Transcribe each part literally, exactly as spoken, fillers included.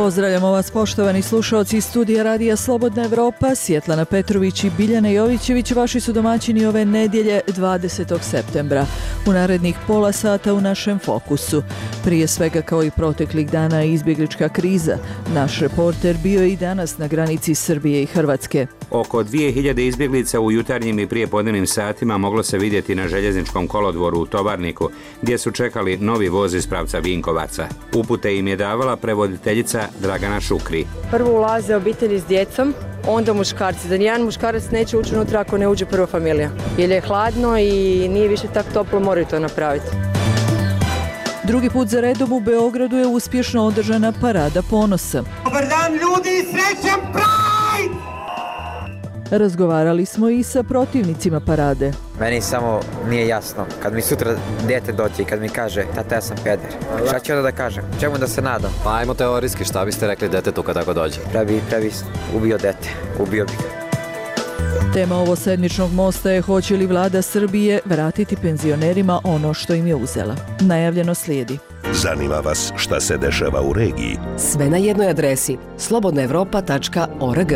Pozdravljamo vas poštovani slušalci iz studija Radija Slobodna Evropa. Svjetlana Petrović i Biljana Jovićević vaši su domaćini ove nedjelje dvadesetog septembra. U narednih pola sata u našem fokusu. Prije svega kao i proteklih dana je izbjeglička kriza. Naš reporter bio je i danas na granici Srbije i Hrvatske. Oko dvije hiljade izbjeglica u jutarnjim i prijepodnevnim satima moglo se vidjeti na željezničkom kolodvoru u Tovarniku, gdje su čekali novi voz iz pravca Vinkovaca. Upute im je davala prevoditeljica Dragana Šukri. Prvo ulaze obitelji s djecom, onda muškarci. Da nijedan muškarac neće ući unutra ako ne uđe prva familija. Jer je hladno i nije više tako toplo, moraju to napraviti. Drugi put za redom u Beogradu je uspješno održana Parada ponosa. Dobar dan ljudi, srećan Pride! Razgovarali smo i sa protivnicima parade. Meni samo nije jasno, kad mi sutra dijete dođe i kad mi kaže tata ja sam peder, šta ću onda da kažem, čemu da se nadam? Pa ajmo teorijski, šta biste rekli detetu kad tako dođe? Prebi, prebi ubio dete, ubio bi ga. Tema ovosedmičnog mosta je hoće li vlada Srbije vratiti penzionerima ono što im je uzela. Najavljeno slijedi. Zanima vas šta se dešava u regiji? Sve na jednoj adresi slobodna evropa tačka org.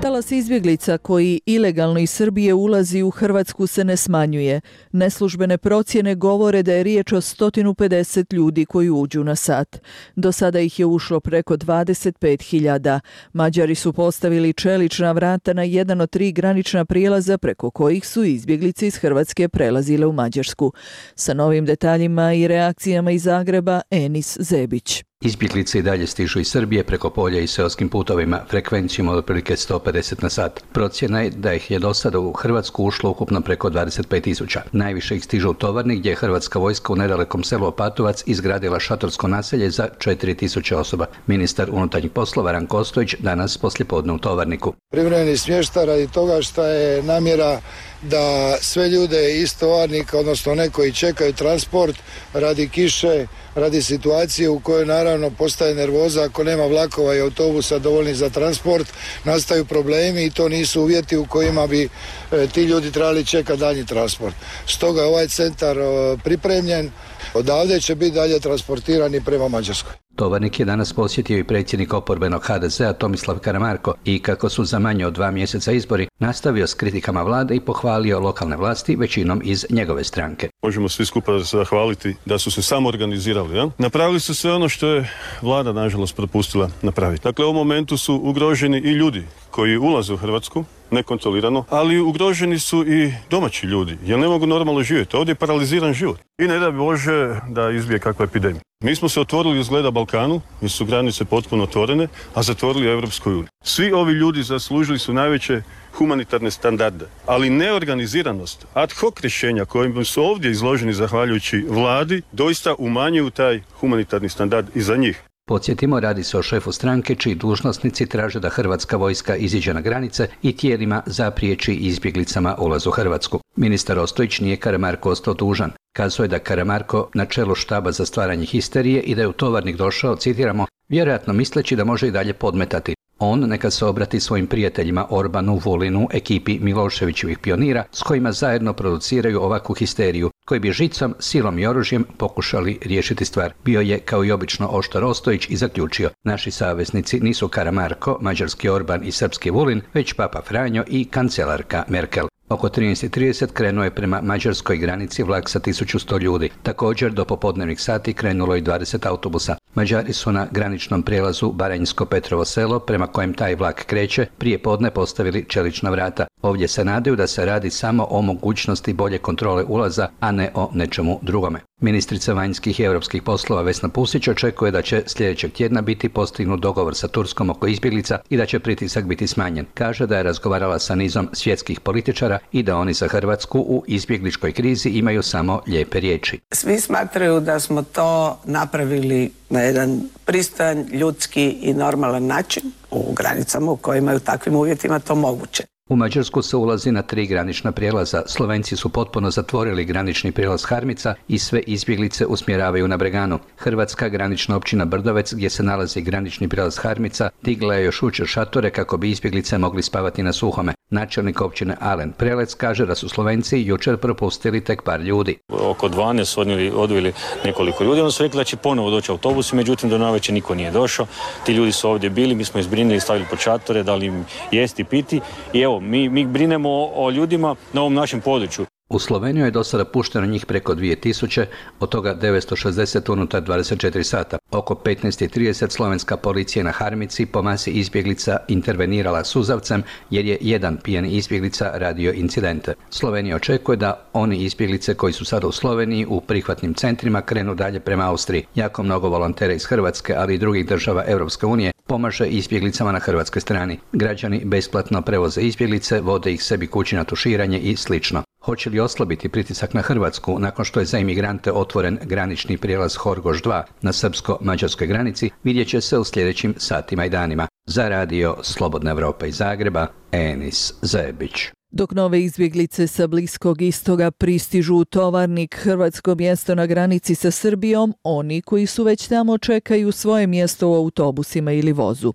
Talas izbjeglica koji ilegalno iz Srbije ulazi u Hrvatsku se ne smanjuje. Neslužbene procjene govore da je riječ o sto pedeset ljudi koji uđu na sat. Do sada ih je ušlo preko dvadeset pet hiljada. Mađari su postavili čelična vrata na jedan od tri granična prijelaza preko kojih su izbjeglice iz Hrvatske prelazile u Mađarsku. Sa novim detaljima i reakcijama iz Zagreba, Enis Zebić. Izbjeglice i dalje stižu iz Srbije preko polja i seoskim putovima, frekvencijom od otprilike sto pedeset na sat. Procjena je da ih je do sada u Hrvatsku ušlo ukupno preko dvadeset pet tisuća. Najviše ih stižu u Tovarnik, gdje je hrvatska vojska u nedalekom selu Opatovac izgradila šatorsko naselje za četiri tisuće osoba. Ministar unutarnjih poslova Ranko Ostojić danas poslijepodne u Tovarniku. Privremeni smještaj radi toga što je namjera da sve ljude iz Tovarnika, odnosno ne koji čekaju transport radi kiše, radi situacije u kojoj naravno postaje nervoza ako nema vlakova i autobusa dovoljni za transport, nastaju problemi i to nisu uvjeti u kojima bi e, ti ljudi trebali čekati dalji transport. Stoga je ovaj centar e, pripremljen, odavde će biti dalje transportirani prema Mađarskoj. Tovarnik je danas posjetio i predsjednik oporbenog H D Z-a Tomislav Karamarko i kako su za manje od dva mjeseca izbori, nastavio s kritikama vlade i pohvalio lokalne vlasti većinom iz njegove stranke. Možemo svi skupa zahvaliti da su se samo organizirali. Ja? Napravili su sve ono što je vlada nažalost propustila napraviti. Dakle, u ovom momentu su ugroženi i ljudi koji ulaze u Hrvatsku nekontrolirano, ali ugroženi su i domaći ljudi, jer ne mogu normalno živjeti. Ovdje je paraliziran život. I ne da Bože da izbije kakva epidemija. Mi smo se otvorili izgleda Balkanu, jer su granice potpuno otvorene, a zatvorili Europskoj uniji. Svi ovi ljudi zaslužili su najveće humanitarne standarde, ali neorganiziranost, ad hoc rješenja kojim su ovdje izloženi zahvaljujući vladi, doista umanjuju taj humanitarni standard i za njih. Podsjetimo, radi se o šefu stranke čiji dužnosnici traže da hrvatska vojska iziđe na granice i tijelima zapriječi izbjeglicama ulaz u Hrvatsku. Ministar Ostojić nije Karamarko ostao dužan. Kazao je da Karamarko na čelu štaba za stvaranje histerije i da je u Tovarnik došao, citiramo, vjerojatno misleći da može i dalje podmetati. On neka se obrati svojim prijateljima Orbanu, Vulinu, ekipi Miloševićevih pionira s kojima zajedno produciraju ovakvu histeriju, koji bi žicom, silom i oružjem pokušali riješiti stvar. Bio je, kao i obično, oštar Ostojić i zaključio: naši saveznici nisu Karamarko, mađarski Orban i srpski Vulin, već Papa Franjo i kancelarka Merkel. Oko trinaest i trideset krenuo je prema mađarskoj granici vlak sa tisuću sto ljudi. Također do popodnevnih sati krenulo i dvadeset autobusa. Mađari su na graničnom prijelazu Baranjsko-Petrovo selo, prema kojem taj vlak kreće, prije podne postavili čelična vrata. Ovdje se nadaju da se radi samo o mogućnosti bolje kontrole ulaza, a ne o nečemu drugome. Ministrica vanjskih i europskih poslova Vesna Pusić očekuje da će sljedećeg tjedna biti postignut dogovor sa Turskom oko izbjeglica i da će pritisak biti smanjen. Kaže da je razgovarala sa nizom svjetskih političara i da oni za Hrvatsku u izbjegličkoj krizi imaju samo lijepe riječi. Svi smatraju da smo to napravili na jedan pristojan, ljudski i normalan način u granicama u kojima je u takvim uvjetima to moguće. U Mađarsku se ulazi na tri granična prijelaza. Slovenci su potpuno zatvorili granični prijelaz Harmica i sve izbjeglice usmjeravaju na Breganu. Hrvatska granična općina Brdovec, gdje se nalazi granični prijelaz Harmica, digla je još jučer šatore kako bi izbjeglice mogli spavati na suhome. Načelnik općine Alen Prelec kaže da su Slovenci jučer propustili tek par ljudi. Oko dvanaest su odnijeli, odveli nekoliko ljudi, onda su rekli da će ponovo doći autobusi, međutim do navečer niko nije došao. Ti ljudi su ovdje bili, mi smo izbrinili, stavili pod šatore, dali im jesti, piti i evo, mi, mi brinemo o ljudima na ovom našem području. U Sloveniju je do sada pušteno njih preko dvije tisuće, od toga devetsto šezdeset unutar dvadeset četiri sata. Oko petnaest i trideset slovenska policija na Harmici po masi izbjeglica intervenirala suzavcem jer je jedan pijani izbjeglica radio incidente. Slovenija očekuje da oni izbjeglice koji su sada u Sloveniji u prihvatnim centrima krenu dalje prema Austriji. Jako mnogo volontera iz Hrvatske, ali i drugih država Europske unije pomaže izbjeglicama na hrvatskoj strani. Građani besplatno prevoze izbjeglice, vode ih sebi kući na tuširanje i slično. Hoće li oslabiti pritisak na Hrvatsku nakon što je za imigrante otvoren granični prijelaz Horgoš dva na srpsko-mađarskoj granici, vidjet će se u sljedećim satima i danima. Za radio Slobodna Evropa iz Zagreba, Enis Zebić. Dok nove izbjeglice sa Bliskog istoga pristižu u Tovarnik, hrvatsko mjesto na granici sa Srbijom, oni koji su već tamo čekaju svoje mjesto u autobusima ili vozu.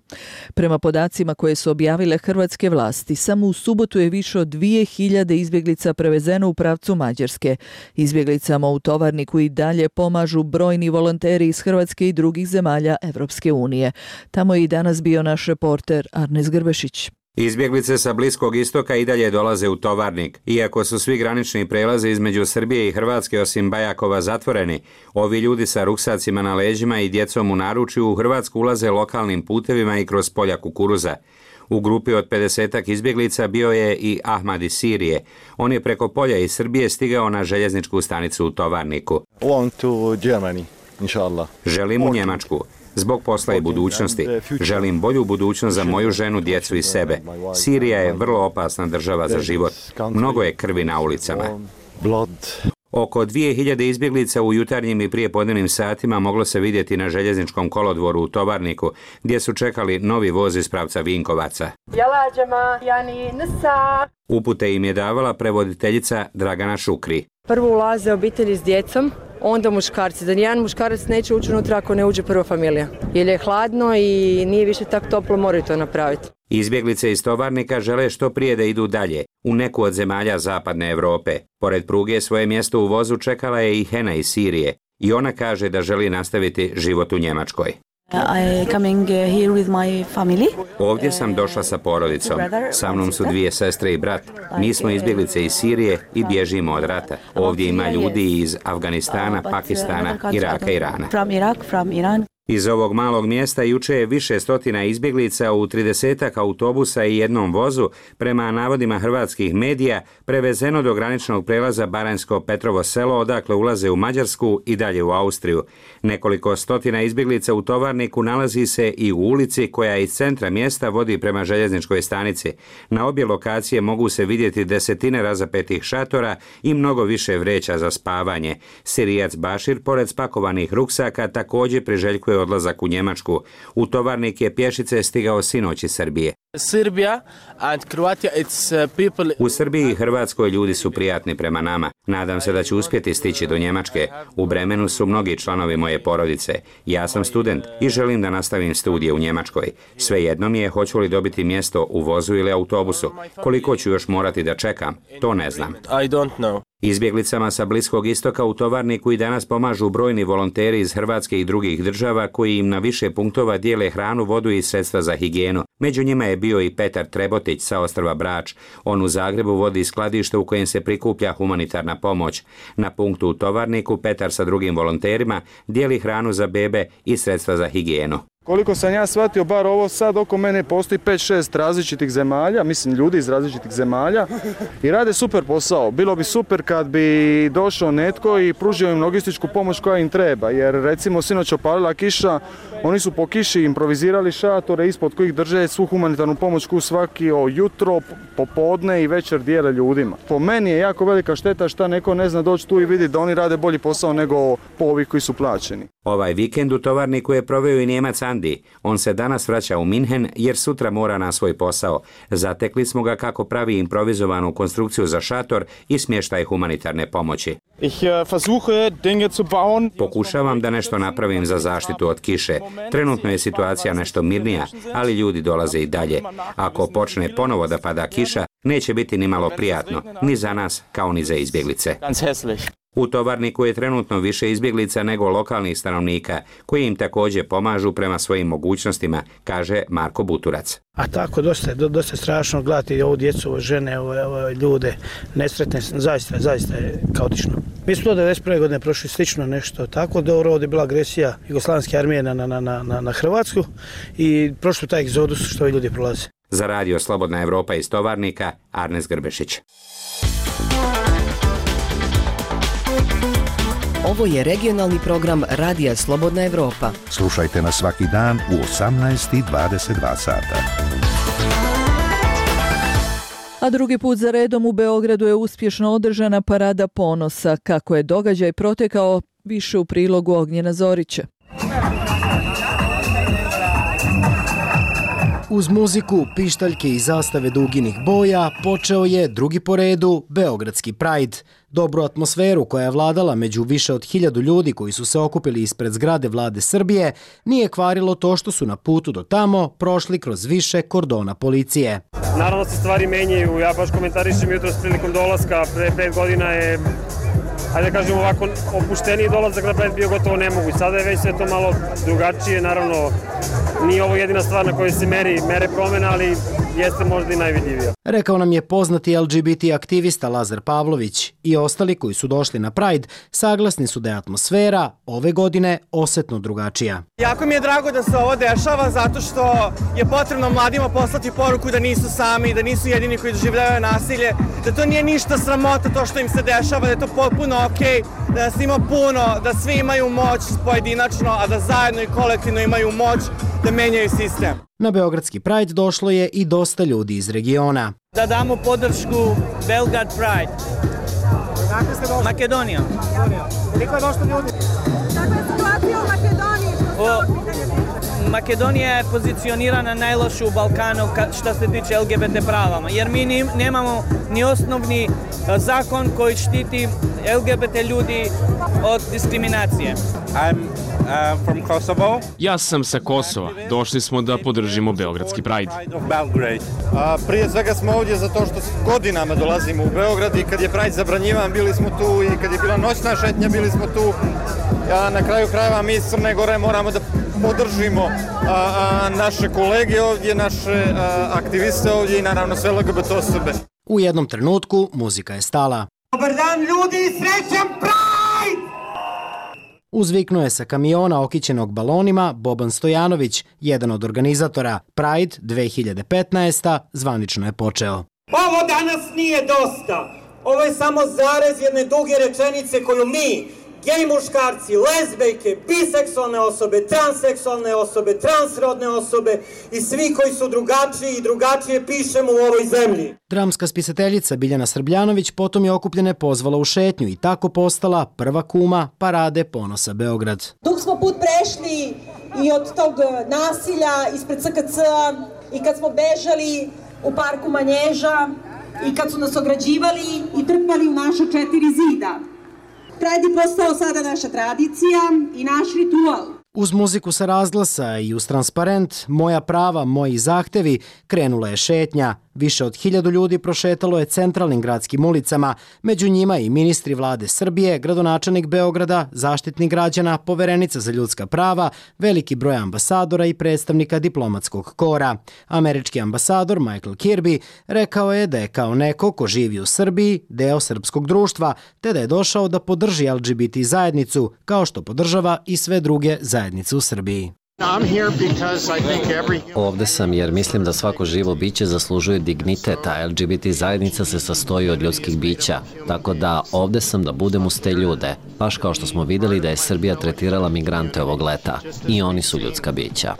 Prema podacima koje su objavile hrvatske vlasti, samo u subotu je više od dvije hiljade izbjeglica prevezeno u pravcu Mađarske. Izbjeglicama u Tovarniku i dalje pomažu brojni volonteri iz Hrvatske i drugih zemalja Evropske unije. Tamo je i danas bio naš reporter Arnes Grbešić. Izbjeglice sa Bliskog istoka i dalje dolaze u Tovarnik. Iako su svi granični prelazi između Srbije i Hrvatske osim Bajakova zatvoreni, ovi ljudi sa ruksacima na leđima i djecom u naručju u Hrvatsku ulaze lokalnim putevima i kroz polja kukuruza. U grupi od pedesetak izbjeglica bio je i Ahmad iz Sirije. On je preko polja iz Srbije stigao na željezničku stanicu u Tovarniku. Želim u Njemačku. Zbog posla i budućnosti. Želim bolju budućnost za moju ženu, djecu i sebe. Sirija je vrlo opasna država za život. Mnogo je krvi na ulicama. Oko dvije hiljade izbjeglica u jutarnjim i prijepodnevnim satima moglo se vidjeti na željezničkom kolodvoru u Tovarniku, gdje su čekali novi voz iz pravca Vinkovaca. Upute im je davala prevoditeljica Dragana Šukri. Prvo ulaze obitelji s djecom, onda muškarci. Da nijedan muškarac neće ući unutra ako ne uđe prva familija. Jer je hladno i nije više tako toplo, moraju to napraviti. Izbjeglice iz Tovarnika žele što prije da idu dalje, u neku od zemalja zapadne Europe. Pored pruge svoje mjesto u vozu čekala je i Hena iz Sirije. I ona kaže da želi nastaviti život u Njemačkoj. Ovdje sam došla sa porodicom. Sa mnom su dvije sestre i brat. Mi smo izbjeglice iz Sirije i bježimo od rata. Ovdje ima ljudi iz Afganistana, Pakistana, Iraka i Irana. Iz ovog malog mjesta juče je više stotina izbjeglica u tridesetak autobusa i jednom vozu, prema navodima hrvatskih medija, prevezeno do graničnog prelaza Baranjsko Petrovo selo, odakle ulaze u Mađarsku i dalje u Austriju. Nekoliko stotina izbjeglica u Tovarniku nalazi se i u ulici koja iz centra mjesta vodi prema željezničkoj stanici. Na obje lokacije mogu se vidjeti desetine razapetih šatora i mnogo više vreća za spavanje. Sirijac Bašir, pored spakovanih ruksaka, također priželjkuje odlazak u Njemačku. U Tovarnik je pješice stigao sinoć iz Srbije. U Srbiji i Hrvatskoj ljudi su prijatni prema nama. Nadam se da ću uspjeti stići do Njemačke. U Bremenu su mnogi članovi moje porodice. Ja sam student i želim da nastavim studije u Njemačkoj. Svejedno mi je hoću li dobiti mjesto u vozu ili autobusu. Koliko ću još morati da čekam, to ne znam. Izbjeglicama sa Bliskog istoka u Tovarniku i danas pomažu brojni volonteri iz Hrvatske i drugih država koji im na više punktova dijele hranu, vodu i sredstva za higijenu. Među njima je bio i Petar Trebotić sa ostrva Brač. On u Zagrebu vodi skladište u kojem se prikuplja humanitarna pomoć. Na punktu u Tovarniku Petar sa drugim volonterima dijeli hranu za bebe i sredstva za higijenu. Koliko sam ja shvatio, bar ovo sad oko mene postoji pet šest različitih zemalja, mislim ljudi iz različitih zemalja i rade super posao. Bilo bi super kad bi došao netko i pružio im logističku pomoć koja im treba, jer recimo sinoć opalila kiša, oni su po kiši improvizirali šatore ispod kojih drže svu humanitarnu pomoć koju svaki jutro, popodne i večer dijele ljudima. Po meni je jako velika šteta šta neko ne zna doći tu i vidi da oni rade bolji posao nego po ovih koji su plaćeni. Ovaj vikend u Tovarniku je proveo i Nijemac Andrej Holandiji. On se danas vraća u Minhen jer sutra mora na svoj posao. Zatekli smo ga kako pravi improvizovanu konstrukciju za šator i smještaj humanitarne pomoći. Pokušavam da nešto napravim za zaštitu od kiše. Trenutno je situacija nešto mirnija, ali ljudi dolaze i dalje. Ako počne ponovo da pada kiša, neće biti ni malo prijatno, ni za nas kao ni za izbjeglice. U Tovarniku je trenutno više izbjeglica nego lokalnih stanovnika, koji im također pomažu prema svojim mogućnostima, kaže Marko Buturac. A tako, dosta je, dosta je strašno gledati ovu djecu, ove žene, ove, ove ljude, nesretne, zaista, zaista je kaotično. Mi smo do devedeset prve godine prošli slično nešto tako, da ovdje je bila agresija Jugoslavenske armije na, na, na, na, na Hrvatsku i prošli taj egzodus što ovi ljudi prolaze. Za radio Slobodna Evropa iz Tovarnika, Arnes Grbešić. Ovo je regionalni program Radija Slobodna Evropa. Slušajte nas svaki dan u osamnaest i dvadeset dva sata. A drugi put za redom u Beogradu je uspješno održana Parada ponosa. Kako je događaj protekao, više u prilogu Ognjena Zorića. Uz muziku, pištaljke i zastave duginih boja počeo je drugi po redu Beogradski Pride. Dobru atmosferu koja je vladala među više od hiljadu ljudi koji su se okupili ispred zgrade vlade Srbije nije kvarilo to što su na putu do tamo prošli kroz više kordona policije. Naravno se stvari menjaju, ja baš komentarišem jutros prilikom dolaska, pre pet godina je, ajde da kažem ovako, opušteniji dolazak na Pride bio gotovo nemoguć. Sada je već sve to malo drugačije, naravno nije ovo jedina stvar na kojoj se meri, mere promjena, ali jeste možda i najvidljivija. Rekao nam je poznati L G B T aktivista Lazar Pavlović i ostali koji su došli na Pride saglasni su da je atmosfera ove godine osetno drugačija. Jako mi je drago da se ovo dešava zato što je potrebno mladima poslati poruku da nisu sami, da nisu jedini koji doživljavaju nasilje, da to nije ništa sramota to što im se dešava, da je to potpuno okej, da nas ima puno, da svi imaju moć pojedinačno, a da zajedno i kolektivno imaju moć da menjaju sistem. Na Beogradski Pride došlo je i dosta ljudi iz regiona. Da damo podršku Belgrad Pride. Dakle ste došli? Makedonija. Koliko je došlo ljudi? Kakva je situacija u Makedoniji? O, Makedonija je pozicionirana najloše u Balkanu što se tiče L G B T pravama, jer mi nemamo ni osnovni zakon koji štiti L G B T ljudi od diskriminacije. I'm uh, from Kosovo. Ja sam sa Kosova. Došli smo da podržimo Beogradski Pride. A, prije svega smo ovdje zato što godinama dolazimo u Beograd i kad je Pride zabranjivan bili smo tu i kad je bila noćna šetnja bili smo tu. A na kraju krajeva mi iz Crne Gore moramo da podržimo a, a, naše kolege ovdje, naše a, aktiviste ovdje i naravno sve L G B T osobe. U jednom trenutku muzika je stala. Dobar dan ljudi, srećan Pride! Uzviknuo je sa kamiona okićenog balonima Boban Stojanović, jedan od organizatora. Pride dve hiljade petnaeste. zvanično je počeo. Ovo danas nije dosta. Ovo je samo zarez jedne duge rečenice koju mi, gej muškarci, lezbejke, biseksualne osobe, transseksualne osobe, transrodne osobe i svi koji su drugačiji i drugačije pišemo u ovoj zemlji. Dramska spisateljica Biljana Srbljanović potom je okupljene pozvala u šetnju i tako postala prva kuma Parade ponosa Beograd. Dug smo put prešli i od tog nasilja ispred C K C-a i kad smo bežali u parku Manježa i kad su nas ograđivali i trpali u naša četiri zida. Pride je postao sada naša tradicija i naš ritual. Uz muziku sa razglasa i uz transparent Moja prava, moji zahtevi krenula je šetnja. Više od hiljadu ljudi prošetalo je centralnim gradskim ulicama, među njima i ministri vlade Srbije, gradonačelnik Beograda, zaštitnik građana, poverenica za ljudska prava, veliki broj ambasadora i predstavnika diplomatskog kora. Američki ambasador Michael Kirby rekao je da je kao neko ko živi u Srbiji deo srpskog društva, te da je došao da podrži L G B T zajednicu, kao što podržava i sve druge zajednice u Srbiji. Ovde sam jer mislim da svako živo biće zaslužuje dignitet, a L G B T zajednica se sastoji od ljudskih bića. Tako da ovde sam da budem uz te ljude, baš kao što smo videli da je Srbija tretirala migrante ovog leta. I oni su ljudska bića.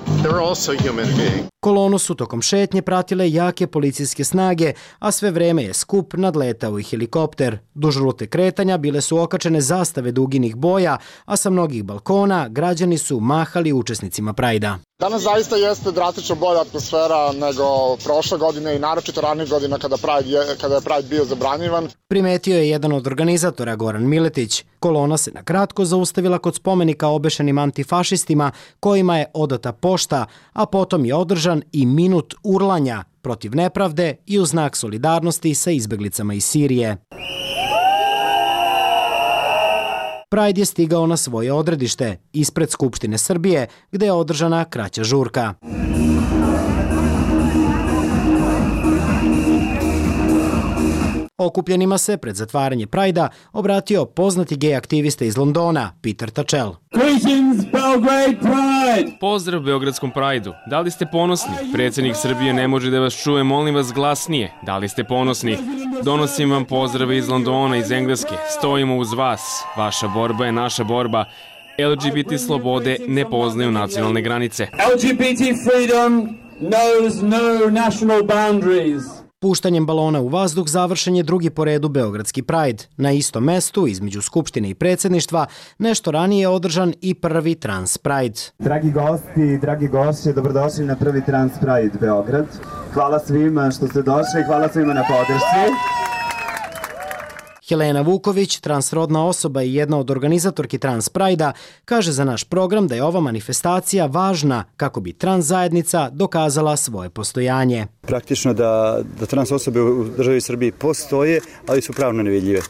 Kolonu su tokom šetnje pratile jake policijske snage, a sve vreme je skup nadletao i helikopter. Duž rute kretanja bile su okačene zastave duginih boja, a sa mnogih balkona građani su mahali učesnicima Prajda. Danas zaista jeste drastično bolja atmosfera nego prošle godine i naročito ranih godina kada, Pride je, kada je Pride bio zabranjivan. Primetio je jedan od organizatora, Goran Miletić. Kolona se na kratko zaustavila kod spomenika obešenim antifašistima kojima je odata pošta, a potom je održan i minut urlanja protiv nepravde i u znak solidarnosti sa izbeglicama iz Sirije. Pride je stigao na svoje odredište, ispred Skupštine Srbije, gde je održana kraća žurka. Okupljenima se pred zatvaranje Prajda obratio poznati gej aktivista iz Londona, Peter Tatchell. Pozdrav Beogradskom Prajdu. Da li ste ponosni? Predsjednik Srbije ne može da vas čuje, molim vas glasnije. Da li ste ponosni? Donosim vam pozdrave iz Londona, iz Engleske. Stojimo uz vas. Vaša borba je naša borba. L G B T slobode ne poznaju nacionalne granice. L G B T freedom knows no national boundaries. Puštanjem balona u vazduh završen je drugi po redu Beogradski Pride. Na istom mestu, između Skupštine i predsjedništva, nešto ranije je održan i prvi Trans Pride. Dragi gosti, dragi gošće, dobrodošli na prvi Trans Pride Beograd. Hvala svima što ste došli, hvala svima na podršci. Helena Vuković, transrodna osoba i jedna od organizatorki Trans Prajda, kaže za naš program da je ova manifestacija važna kako bi trans zajednica dokazala svoje postojanje. Praktično da, da trans osobe u državi Srbiji postoje, ali su pravno nevidljive.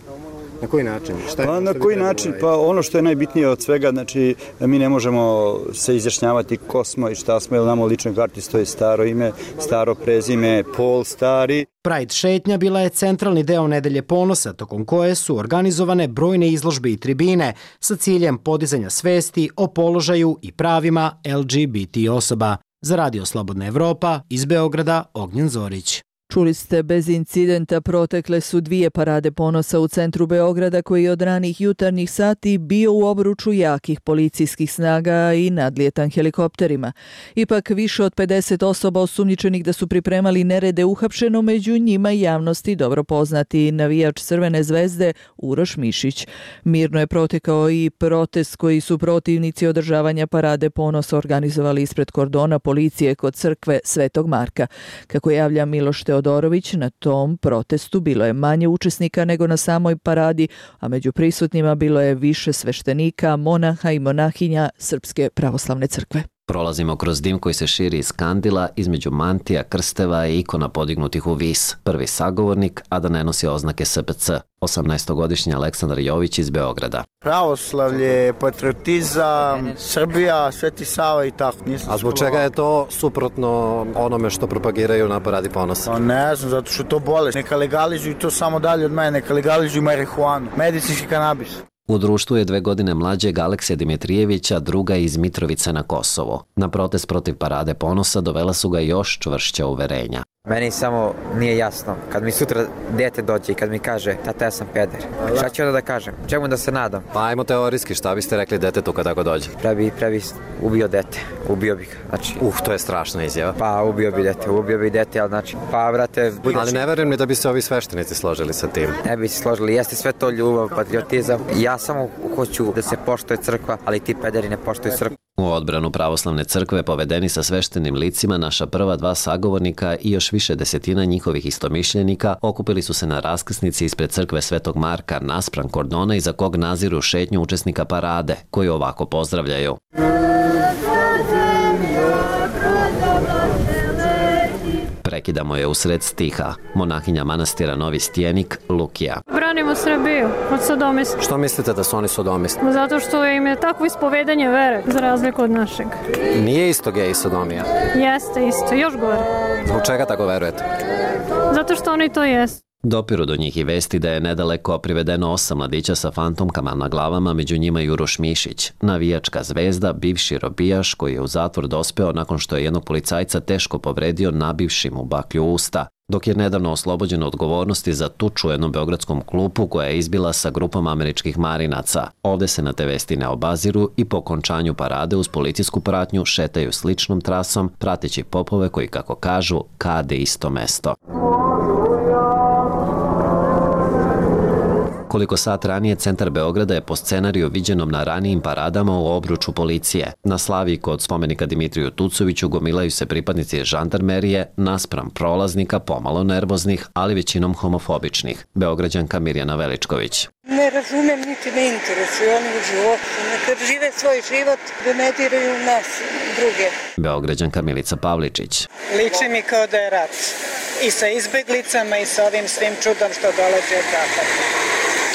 Na koji način? Šta je, pa na koji način? Pa ono što je najbitnije od svega, znači mi ne možemo se izjašnjavati ko smo i šta smo, jer nam u ličnoj karti stoji staro ime, staro prezime, pol stari. Pride šetnja bila je centralni deo Nedelje ponosa, tokom koje su organizovane brojne izložbe i tribine sa ciljem podizanja svesti o položaju i pravima L G B T osoba. Za Radio Slobodna Evropa, iz Beograda, Ognjen Zorić. Čuli ste, bez incidenta protekle su dvije parade ponosa u centru Beograda koji je od ranih jutarnjih sati bio u obruču jakih policijskih snaga i nadlijetan helikopterima. Ipak više od pedeset osoba osumnjičenih da su pripremali nerede uhapšeno, među njima javnosti dobro poznati navijač Crvene zvezde Uroš Mišić. Mirno je protekao i protest koji su protivnici održavanja parade ponosa organizovali ispred kordona policije kod crkve Svetog Marka. Kako javlja Miloš Teodorović, na tom protestu bilo je manje učesnika nego na samoj paradi, a među prisutnima bilo je više sveštenika, monaha i monahinja Srpske pravoslavne crkve. Prolazimo kroz dim koji se širi iz kandila, između mantija, krsteva i ikona podignutih u vis. Prvi sagovornik, a da ne nosi oznake S P C. osamnaestogodišnji Aleksandar Jović iz Beograda. Pravoslavlje, patriotizam, Srbija, Sveti Sava i tako. A zbog čega je to suprotno onome što propagiraju na paradi ponosa? Pa ne znam, zato što to bolest. Neka legalizuju to samo dalje od mene, neka legalizuju marihuanu, medicinski kanabis. U društvu je dve godine mlađeg Aleksija Dimitrijevića, druga iz Mitrovice na Kosovo. Na protest protiv parade ponosa dovela su ga još čvršća uverenja. Meni samo nije jasno, kad mi sutra dete dođe i kad mi kaže tata ja sam peder, šta ću onda da kažem, čemu da se nadam? Pa ajmo teorijski, šta biste rekli detetu kad tako dođe? Prebi, prebi ubio dete, ubio bih ga, znači... Uh, to je strašna izjava. Pa ubio bi dete, ubio bi dete, ali znači, pa vrate... Budući... Ali ne verujem ni da bi se ovi sveštenici složili sa tim. Ne bi se složili, jeste sve to ljubav, patriotizam, ja samo hoću da se poštuje crkva, ali ti pederi ne poštuju crkvu. U odbranu pravoslavne crkve povedeni sa sveštenim licima naša prva dva sagovornika i još više desetina njihovih istomišljenika okupili su se na raskrsnici ispred crkve Svetog Marka naspram kordona iza kog naziru šetnju učesnika parade, koji ovako pozdravljaju. Prekidamo je usred stiha. Monahinja manastira Novi Stjenik, Lukija. Branimo Srbiju od sodomista. Što mislite da su oni sodomisti? Zato što im je takvo ispovedanje vere, za razliku od našeg. Nije isto gej i sodomija? Jeste isto, još gore. Zbog čega tako verujete? Zato što oni to jesu. Dopiru do njih i vesti da je nedaleko privedeno osam mladića sa fantomkama na glavama, među njima i Uroš Mišić, navijačka zvezda, bivši robijaš koji je u zatvor dospeo nakon što je jednog policajca teško povredio nabivši mu baklju u usta, dok je nedavno oslobođen odgovornosti za tuču u jednom beogradskom klubu koja je izbila sa grupom američkih marinaca. Ovde se na te vesti ne obaziru i po okončanju parade uz policijsku pratnju šetaju sličnom trasom, prateći popove koji, kako kažu, kade isto mesto. Koliko sat ranije, centar Beograda je po scenariju viđenom na ranijim paradama u obruču policije. Na Slaviji kod spomenika Dimitriju Tucoviću gomilaju se pripadnici žandarmerije naspram prolaznika pomalo nervoznih, ali većinom homofobičnih. Beograđanka Mirjana Veličković. Ne razumem, niti ne interesuju oni u životu. Neka žive svoj život, da ne diraju nas druge. Beograđanka Milica Pavličić. Liči mi kao da je rat. I sa izbeglicama i sa ovim svim čudom što dolazi od zapada.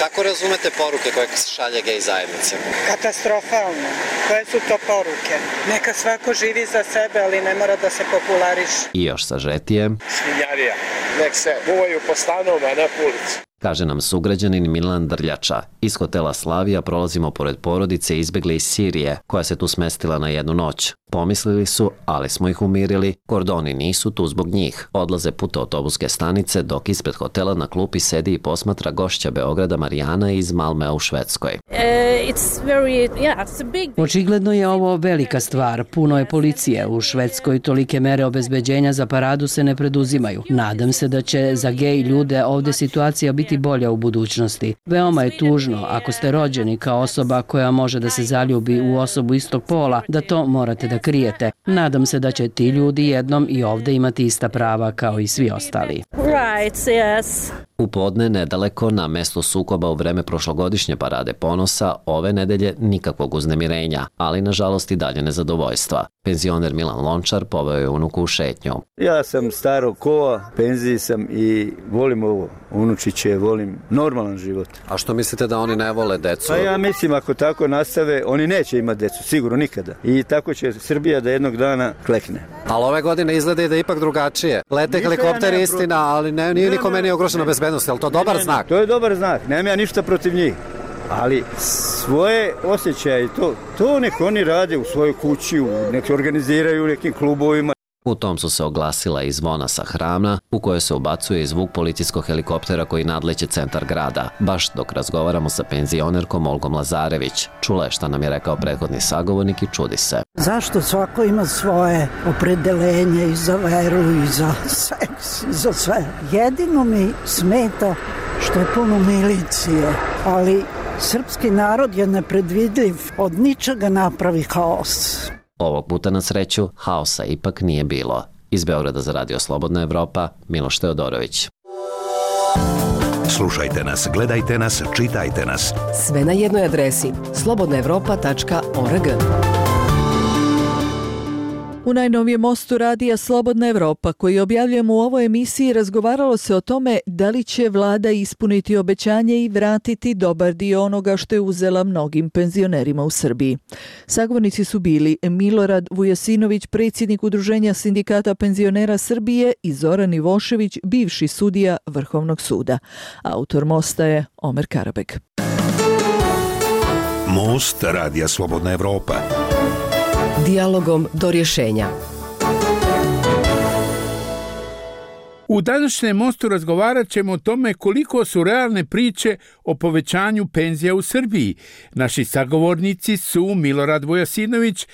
Kako razumete poruke koje se šalje gej zajednice? Katastrofalno. Koje su to poruke? Neka svako živi za sebe, ali ne mora da se populariše. I još sažetije. Svinjarija. Nek se buvaju po stanovima, a ne po ulici. Kaže nam sugrađanin Milan Drljača. Iz hotela Slavija prolazimo pored porodice izbegle iz Sirije, koja se tu smestila na jednu noć. Pomislili su, ali smo ih umirili, kordoni nisu tu zbog njih. Odlaze put autobuske stanice, dok ispred hotela na klupi sedi i posmatra gošća Beograda Marijana iz Malmea u Švedskoj. Očigledno je ovo velika stvar. Puno je policije. U Švedskoj tolike mere obezbeđenja za paradu se ne preduzimaju. Nadam se da će za gej ljude ovde situacija biti bolja u budućnosti. Veoma je tužno ako ste rođeni kao osoba koja može da se zaljubi u osobu istog pola, da to morate da krijete. Nadam se da će ti ljudi jednom i ovde imati ista prava kao i svi ostali. Right, yes. U podne, nedaleko, na mesto sukoba u vreme prošlogodišnje parade ponosa, ove nedelje nikakvog uznemirenja, ali nažalost i dalje nezadovoljstva. Penzioner Milan Lončar poveo je unuku u šetnju. Ja sam staro kova, penziji sam i volim ovo. Unučiće, volim normalan život. A što mislite da oni ne vole decu? Pa ja mislim ako tako nastave, oni neće imati decu, sigurno nikada. I tako će Srbija da jednog dana klekne. Ali ove godine izgleda i da je ipak drugačije. Lete helikopteri, istina, ali ne, nije nikome nije ugrožena bezbednost. Je li to dobar znak? To je dobar znak. Nemam ja ništa protiv njih. Ali svoje osjećaje, to, to nek oni rade u svojoj kući, nek organiziraju u nekim klubovima. U tom su se oglasila i zvona sa Hrama, u kojoj se ubacuje i zvuk policijskog helikoptera koji nadleće centar grada. Baš dok razgovaramo sa penzionerkom Olgom Lazarević. Čula je šta nam je rekao prethodni sagovornik i čudi se. Zašto svako ima svoje opredelenje i za veru i za seks i za sve. Jedino mi smeta što je puno milicije, ali srpski narod je nepredvidljiv, od ničega napravi haos. Ovog puta na sreću haosa ipak nije bilo. Iz Beograda za Radio Slobodna Evropa, Miloš Teodorović. Slušajte nas, gledajte nas, čitajte nas. Sve na jednoj adresi slobodna evropa tačka org. U najnovijem mostu radija Slobodna Evropa, koji objavljujemo u ovoj emisiji, razgovaralo se o tome da li će vlada ispuniti obećanje i vratiti dobar dio onoga što je uzela mnogim penzionerima u Srbiji. Sagovornici su bili Milorad Vujasinović, predsjednik Udruženja sindikata penzionera Srbije, i Zoran Ivošević, bivši sudija Vrhovnog suda. Autor mosta je Omer Karabek. Most radija Slobodna Evropa. Dijalogom do rješenja. U današnjem mostu razgovarat ćemo o tome koliko su realne priče o povećanju penzija u Srbiji. Naši sagovornici su Milorad Vujasinović,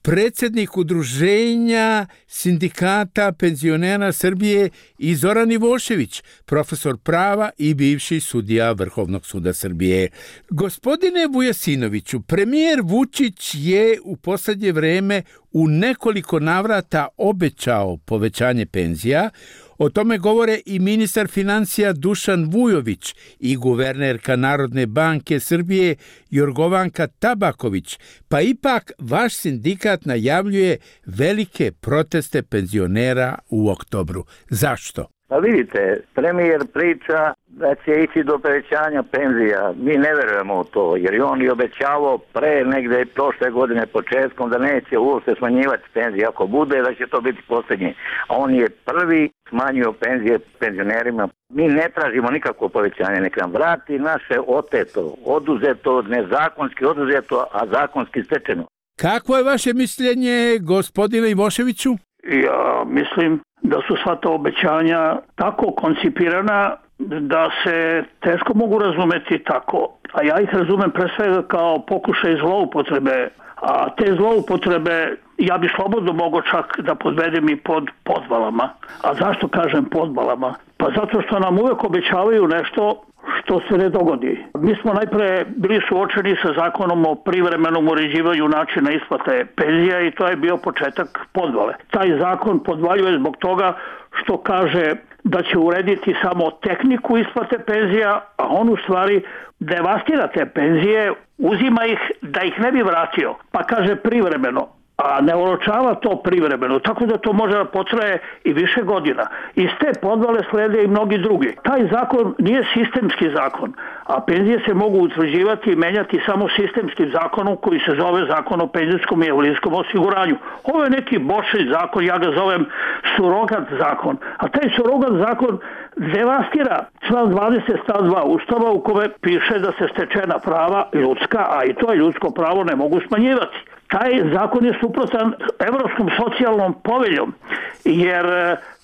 predsjednik Udruženja sindikata penzionera Srbije, i Zoran Ivošević, profesor prava i bivši sudija Vrhovnog suda Srbije. Gospodine Vujasinoviću, premijer Vučić je u posljednje vreme u nekoliko navrata obećao povećanje penzija. O tome govore i ministar financija Dušan Vujović i guvernerka Narodne banke Srbije Jorgovanka Tabaković, pa ipak vaš sindikat najavljuje velike proteste penzionera u oktobru. Zašto? Pa vidite, premijer priča da će ići do povećanja penzija. Mi ne verujemo u to, jer je on i obećavao pre negde prošle godine početkom da neće uopšte smanjivati penzije. Ako bude, da će to biti posljednji. A on je prvi smanjio penzije penzionerima. Mi ne tražimo nikakvo povećanje, nek nam vrati naše oteto, oduzeto, nezakonski oduzeto, a zakonski stečeno. Kako je vaše mišljenje, gospodine Ivoševiću? Ja mislim da su sva ta obećanja tako koncipirana da se teško mogu razumeti tako. A ja ih razumem pre svega kao pokušaj zloupotrebe. A te zloupotrebe ja bi slobodno mogao čak da podvedem i pod podvalama. A zašto kažem podvalama? Pa zato što nam uvek obećavaju nešto što se ne dogodi. Mi smo najpre bili suočeni sa zakonom o privremenom uređivanju načina isplate penzija i to je bio početak podvale. Taj zakon podvaljuje zbog toga što kaže da će urediti samo tehniku isplate penzija, a on u stvari devastira te penzije, uzima ih da ih ne bi vratio, pa kaže privremeno, a ne oročava to privremeno, tako da to može da potraje i više godina. Iz te podvale slede i mnogi drugi. Taj zakon nije sistemski zakon, a penzije se mogu utvrđivati i menjati samo sistemskim zakonom koji se zove Zakon o penzijskom i invalidskom osiguranju. Ovo je neki bočni zakon, ja ga zovem surogat zakon, a taj surogat zakon devastira član dvadeset stav dva Ustava u kome piše da se stečena prava ljudska, a i to je ljudsko pravo, ne mogu smanjivati. Taj zakon je suprotan Evropskom socijalnom poveljom, jer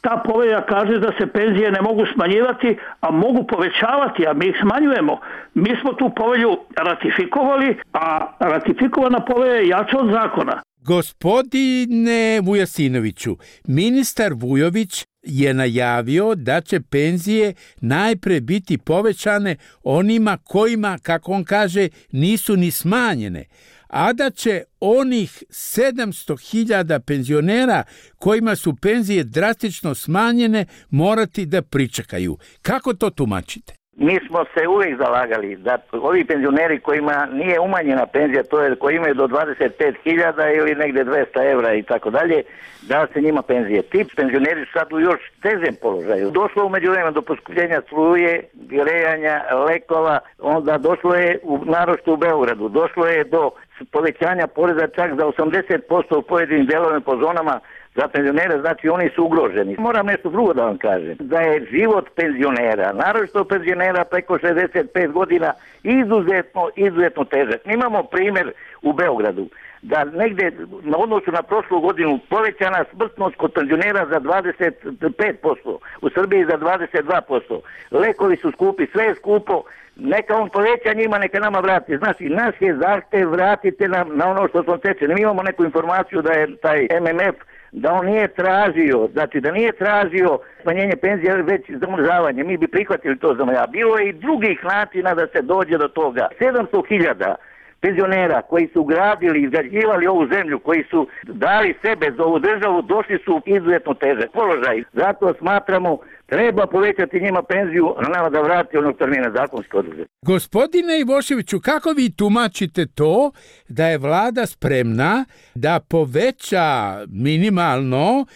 ta povelja kaže da se penzije ne mogu smanjivati, a mogu povećavati, a mi ih smanjujemo. Mi smo tu povelju ratifikovali, a ratifikovana povelja je jača od zakona. Gospodine Vujasinoviću, ministar Vujović je najavio da će penzije najpre biti povećane onima kojima, kako on kaže, nisu ni smanjene, a da će onih sedamsto hiljada penzionera kojima su penzije drastično smanjene morati da pričekaju. Kako to tumačite? Mi smo se uvijek zalagali da ovi penzioneri kojima nije umanjena penzija, to je koji imaju do dvadeset pet hiljada ili negdje dvesta evra i tako dalje, da se njima penzije. Ti penzioneri su sad u još težem položaju. Došlo umeđu vremena do poskupljenja struje, grejanja, lekova, onda došlo je u, naročito u Beogradu, došlo je do povećanja poreza čak za osamdeset posto u pojedinim delovima po zonama za penzionere, znači oni su ugroženi. Moram nešto drugo da vam kažem, da je život penzionera, naročito penzionera preko šezdeset pet godina, izuzetno, izuzetno težak. Imamo primjer u Beogradu, da negde na odnosu na prošlu godinu povećana smrtnost kod penzionera za dvadeset pet posto, u Srbiji za dvadeset dva posto. Lekovi su skupi, sve je skupo, neka on poveća njima, neka nama vrati. Znači, naš je zahtev, vratite nam na ono što smo tečeni. Mi imamo neku informaciju da je taj M M F da on nije tražio, znači da nije tražio smanjenje penzija, već zamrzavanje. Mi bi prihvatili to zamrzavanje. Bilo je i drugih načina da se dođe do toga. sedamsto hiljada penzionera koji su gradili, izgrađivali ovu zemlju, koji su dali sebe za ovu državu, došli su u izuzetno težak položaj. Zato smatramo treba povećati njima penziju, a nama da vrati onog termina zakonski oduzet. Gospodine Ivoševiću, kako vi tumačite to da je vlada spremna da poveća minimalno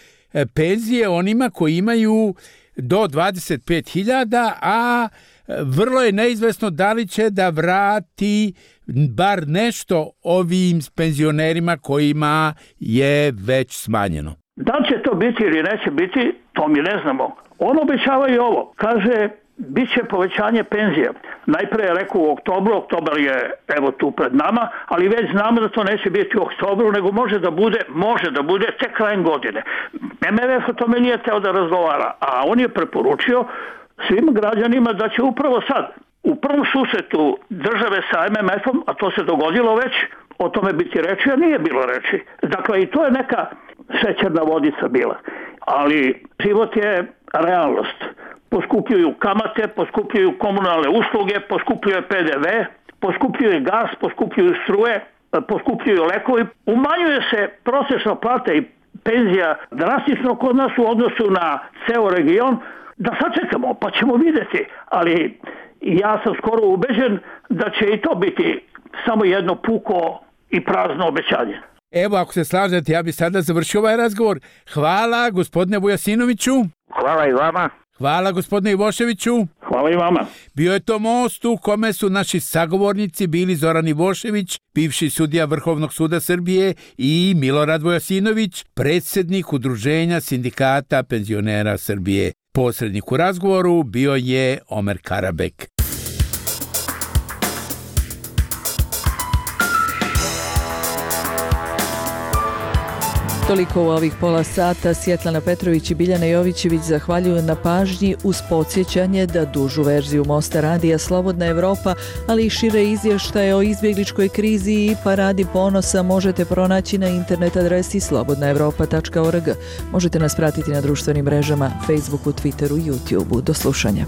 penzije onima koji imaju do dvadeset pet hiljada, a vrlo je neizvesno da li će da vrati bar nešto ovim penzionerima kojima je već smanjeno? Da li će to biti ili neće biti, to mi ne znamo. On obećava i ovo. Kaže, bit će povećanje penzija. Najpre je rekao u oktobru, oktobar je evo tu pred nama, ali već znamo da to neće biti u oktobru, nego može da bude, može da bude tek krajem godine. M M F o tome nije teo da razgovara, a on je preporučio svim građanima da će upravo sad, u prvom susretu države sa M M F-om, a to se dogodilo već, o tome biti reči, a nije bilo reči. Dakle, i to je neka šećerna vodica bila. Ali život je realnost. Poskupljuju kamate, poskupljuju komunalne usluge, poskupljuje P D V, poskupljuje gas, poskupljuju struje, poskupljuju lekovi. Umanjuje se prosječna plata i penzija drastično kod nas u odnosu na ceo region. Da sačekamo, pa ćemo vidjeti. Ali ja sam skoro ubeđen da će i to biti samo jedno puko i prazno obećanje. Evo, ako se slažete, ja bi sada završio ovaj razgovor. Hvala, gospodine Vujasinoviću. Hvala i vama. Hvala, gospodine Ivoševiću. Hvala. Hvala i vama. Bio je to most u kome su naši sagovornici bili Zoran Ivošević, bivši sudija Vrhovnog suda Srbije, i Milorad Vojasinović, predsjednik Udruženja sindikata penzionera Srbije. Posrednik u razgovoru bio je Omer Karabek. Toliko u ovih pola sata. Svjetlana Petrović i Biljana Jovićević zahvaljuju na pažnji uz podsjećanje da dužu verziju Mosta radija Slobodna Evropa, ali i šire izvještaje o izbjegličkoj krizi i paradi ponosa možete pronaći na internet adresi slobodna evropa tačka org. Možete nas pratiti na društvenim mrežama, Facebooku, Twitteru i YouTubeu. Do slušanja.